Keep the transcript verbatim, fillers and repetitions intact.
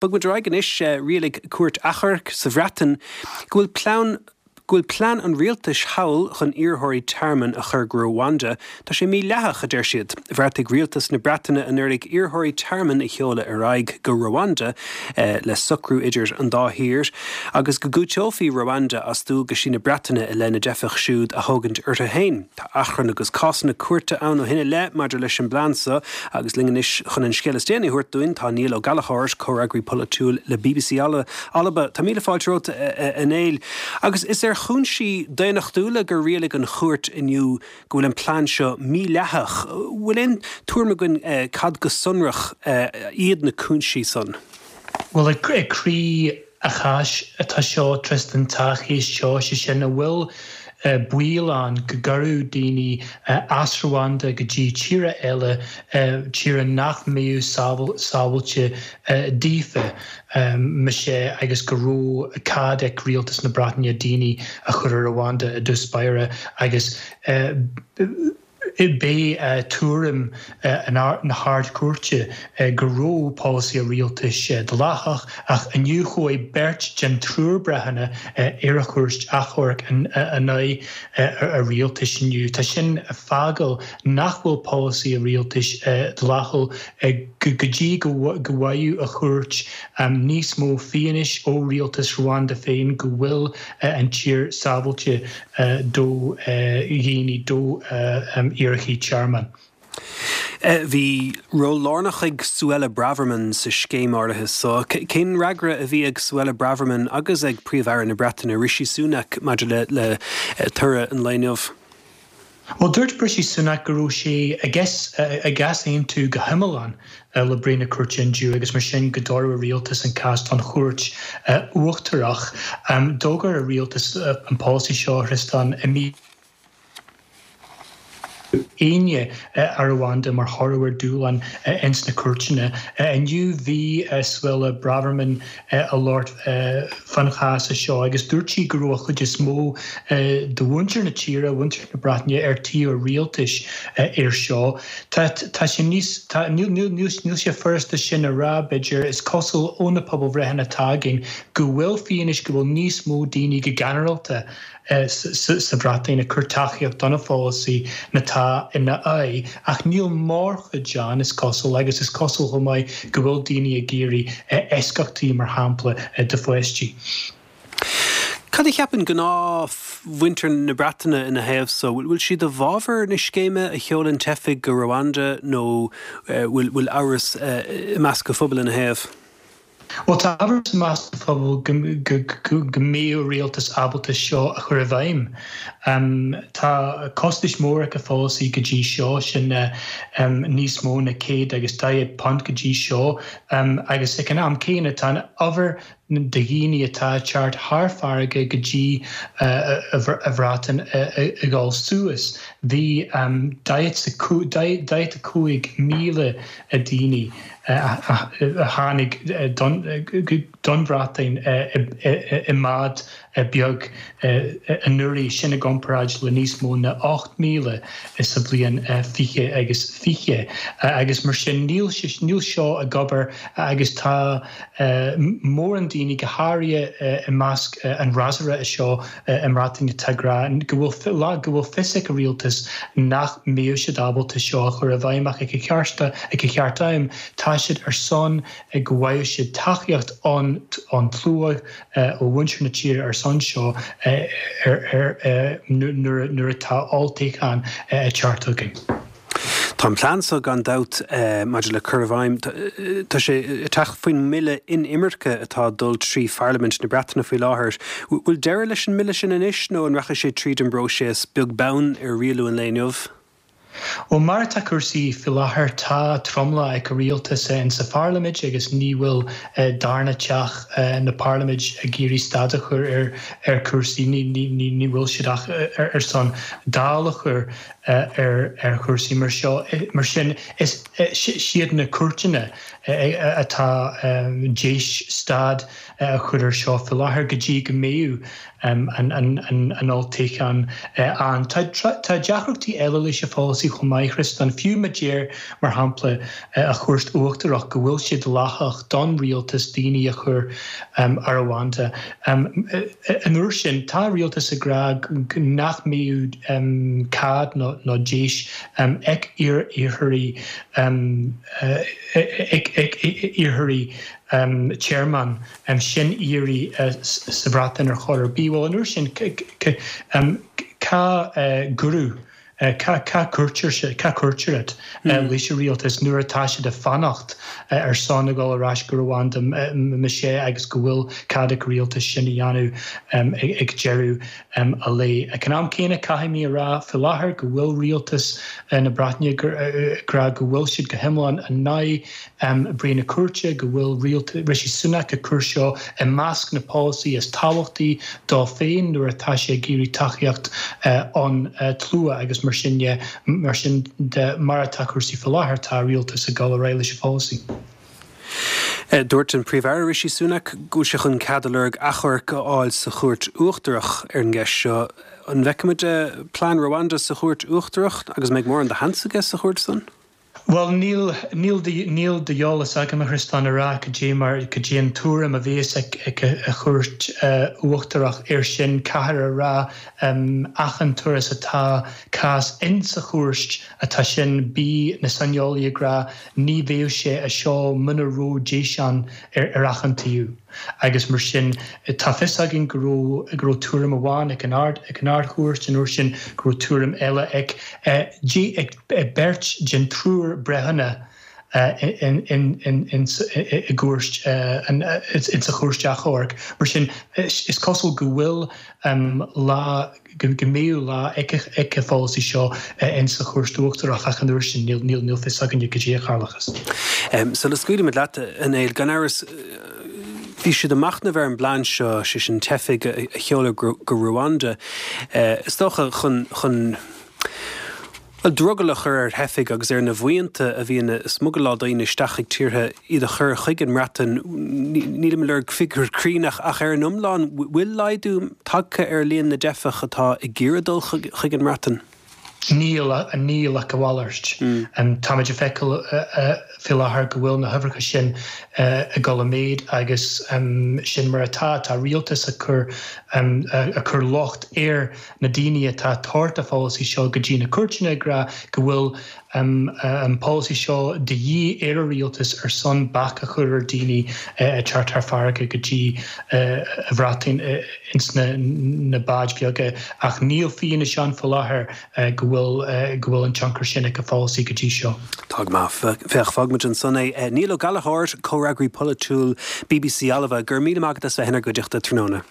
Bog muid ar aghaidh anois. Rialaigh Cúirt Achomhairc sa Bhreatain go bhfuil plean go bhfuil plean an rialtais thall chun iarrthóirí tearmainn a chur go Rwanda, tá sé mídhleathach, a deir siad. Bheartaigh rialtas na Breataine anuraidh iarrthóirí tearmainn a sheoladh ar aghaidh go Rwanda eh, le socrú idir an dá thír agus go gcúiteofaí Rwanda as dualgaisí na Breataine i leith na dteifeach siúd a thógaint orthu féin. Tá achrann agus cásanna cúirte ann ó shin i leith maidir leis an bplean seo agus linn anois chun an scéal is déanaí a thabhairt dúinn tá Niall Ó Gallchóir, comhfhreagraí polaitiúil le B B C Alba. Tá míle fáilte romhat, a Néill. Agus is ar chúinsí daonnachtúla gur rialaigh an chúirt inniu go bhfuil an plean seo mídhleathach. Bhfuil aon tuairim againn eh, cad go sonrach eh, iad na cúinsí san? Well, ag croí an cháis atá seo, Tristan, tá chéist seo sé sin a bhfuil baol ann go gcuirfeadh daoine as Rwanda go dtí tíortha eile, tíortha nach mbeadh sábháilte daofa sé agus go raibh cead ag rialtas na Breataine daoine a chur ar Rwanda i dtús báire agus b'é tuairim na hArd-Chúirte go raibh polasaí rialtais dleathach, ach inniu chuaigh beirt den triúr breithiúna ar an chúirt achomhairc in aghaidh a rialtais inniu. Tá sin ag fágáil nach bhfuil polasaí rialtais dleathach go dtí go bhfaigheadh an chúirt níos mó fianaise ó rialtas Rwanda féin go bhfuil an tír sábháilte do dhaoine, do iarrthóirí tearmainn. Bhí ról lárnach ag Suella Braverman sa scéim áirithe so. Cén fhreagra a bhí ag Suella Braverman agus ag Príomh-Aire na Breataine, Rishi Sunak, maidir le le toradh an lae inniu? Well, dúirt Rishi Sunak go raibh sé ag easaontú go hiomlán le breith na cúirte inniu agus mar sin go dtabharfadh rialtas an cás don chúirt uachtarach. D'fhógair a rialtas an polasaí seo, Tristan, i mí Eanáir ar Rwanda mar thoradh ar dúshlán ins na cúirteanna. Inniu bhí Suella Braverman ag labhairt fán chás seo agus dúirt sí go raibh an chuid is mó de mhuintir na tíre, mhuintir na Breataine, ar taobh an rialtais ar seo. Tá sé níos níl sé furasta sin a rá, b'fhéidir. Is cosúil ó na pobalbhreitheanna atá againn go bhfuil fianaise go bhfuil níos mó daoine go ginearálta sa Bhreatain ag cur tacaíocht don pholasaí ná atá ina aghaidh, ach níl mórchuid ann, is cosúil, agus is cosúil chomh maith go bhfuil daoine ag iarraidh eisceachtaí, mar shampla do pháistí. Cad a cheapann gnáthmhuintir na Breataine ina thaobh so? Bhfuil siad i bhfabhar na scéime a sheolann teifigh go Rwanda nó bhfuil bhfuil amhras i measc an phobail ina thaobh? Well, tá amhras i measc an phobail go mbeadh rialtas ábalta seo a chur i bhfeidhm. Um, tá costais mór ag an pholasaí go dtí seo, sin um, níos mó na céad agus daichead punt go dtí seo, um, agus ag an am céanna tá an uimhir de dhaoine atá ag teacht thar farraige go dtí uh, an Bhreatain ag dul suas. Bhí um, daichead a cúig míle daoine a tháinig don Bhreatain i mbád beag anuraidh, sin i gcomparáid le níos mó na ocht míle sa bhliain fiche agus fiche, agus mar sin níl níl seo ag obair agus tá mórán daoine, go háirithe i measc an fhreasúra seo i mBreatain, atá ag rá go bhfuil go bhfuil fios ag an rialtas nach mbeadh siad ábalta seo a chur i bhfeidhm, ach ag an cheart ag an cheart am tá siad ar son go bhfaigheadh siad tacaíocht an an tslua ó mhuintir na tíre ar son seo nuair atá olltoghchán ag teacht againn. Tá an plean so gan dabht maidir le cur i bhfeidhm, tá sé ag teacht faoin mbille inimirce atá dul trí Pharlaimint na Breataine faoi láthair. Bhfuil deireadh leis an mbille sin anois nó an rachaidh sé tríd an bpróiseas beag beann ar rialú an lae inniu? Ó mar atá cúrsaí faoi láthair, tá tromlach ag rialtas in sa Pharlaimint agus ní bhfuil darna teach na Parlaiminte ag iarraidh stad a chur ar ar cúrsaí. Ní ní bhfuil siad ach ar son dul a chur ar ar chúrsaí mar seo. Mar sin, is siad na cúirteanna atá d'éis stad a chur ar seo faoi láthair go dtí go mbeidh an olltoghchán ann. Tá deacrachtaí eile leis an pholasaí chomh maith, a Chriostáin, fiú má deir, mar shampla, an Chúirt Uachtarach go bhfuil sé dleathach don rialtas daoine a chur ar Rwanda. An uair sin, tá an rialtas ag rá nach mbeidh cead nó deis ag iarrthóirí ag iarrthóirí tearmainn sin iarraidh sa Bhreatain ar chor ar bith. Bhuel, an uair sin, cá gcuireadh, cá cuirtear, cá cuirtear iad leis an rialtas nuair atá siad ag fanacht ar son a dhul ar ais go Rwanda más ea agus go bhfuil cead ag rialtas sin a dhéanamh ag deireadh an lae. Ag an am céanna, caithfidh mé a rá faoi láthair go bhfuil rialtas na Breataine ag rá go bhfuil siad go hiomlán in aghaidh breith na cúirte, go bhfuil Rishi Sunak ag cur seo i measc na polasaí is tábhachtaí dó féin nuair atá sé ag iarraidh tacaíocht ón tslua agus mar sin de, mar sin de, mar atá cúrsaí faoi láthair, tá rialtas ag dul ar aghaidh leis an pholasaí. Dúirt an Príomh-Aire Rishi Sunak go bhfuil sé chun cead a lorg achomharc a fháil sa Chúirt Uachtarach ar an gceist seo. An bhfeicfimid plean Rwanda sa Chúirt Uachtarach agus an mbeidh mórán de sheans aige sa chúirt san? Bhuel, níl, níl de, níl d'eolas agam, a Chriostáin, a rá cad é mar, cad é an tuairim a bhéas ag, ag an Chúirt Uachtarach air sin. Caithfear a rá, achan turas atá cás insa chúirt atá sin, bí na saineolaí ag rá ní bheadh sé a seo muna raibh deis ann ar, ar achan taobh. Agus mar sin, tá fios againn go raibh, go raibh tuairim amháin ag an Ard, ag an Ard-Chúirt an uair sin, go raibh tuairim eile ag, ag, ag beirt den triúr breithiúna in, in, in, in, i gcúirt, in, in sa chúirt achomhairc. Mar sin, is cosúil go bhfuil lá, go mbeidh lá ag an pholasaí seo in sa Chúirt Uachtarach ach an uair sin níl níl fios againne cad é a tharlóchas. Sula scaoilimid leat, a Néill, gan amhras bhí siad ag machnamh ar an bplean seo, sé sin teifigh a sheoladh go Ruanda, is dócha chun chun bhuel, drogall a chur ar theifigh agus ar na buíonta a bhíonn ag smugaláil daoine isteach chuig tíortha, iad a chur chuig an mBreatain. Nílim ag lorg figiúr cruinn ach ach ar an iomlán, bhfuil laghdú tagtha ar líon na dteifeach atá ag iarraidh dul chuig an mBreatain? Níl, níl ach a mhalairt. Táimid ag feiceáil faoi láthair go bhfuil na huimhreacha sin ag dul i méid agus sin mar atá. Tá rialtas ag cur ag cur locht ar na daoine atá ag tabhairt an pholasaí seo go dtí na cúirteanna ag rá go bhfuil an polasaí seo de dhíth ar an rialtas ar son bac a chur ar daoine ag teacht thar farraige go dtí an Bhreatain ins na báid bheaga ach níl fianaise ann faoi láthair go bhfuil go bhfuil an tionchar sin ag an pholasaí go dtí seo. Tá go maith. Féach, fágfaimid ansan é. Niall Ó Gallchóir, comhfhreagraí polaitiúil bbc Alba, go raibh míle maith agat as bheith inár gcuideachta tráthnóna.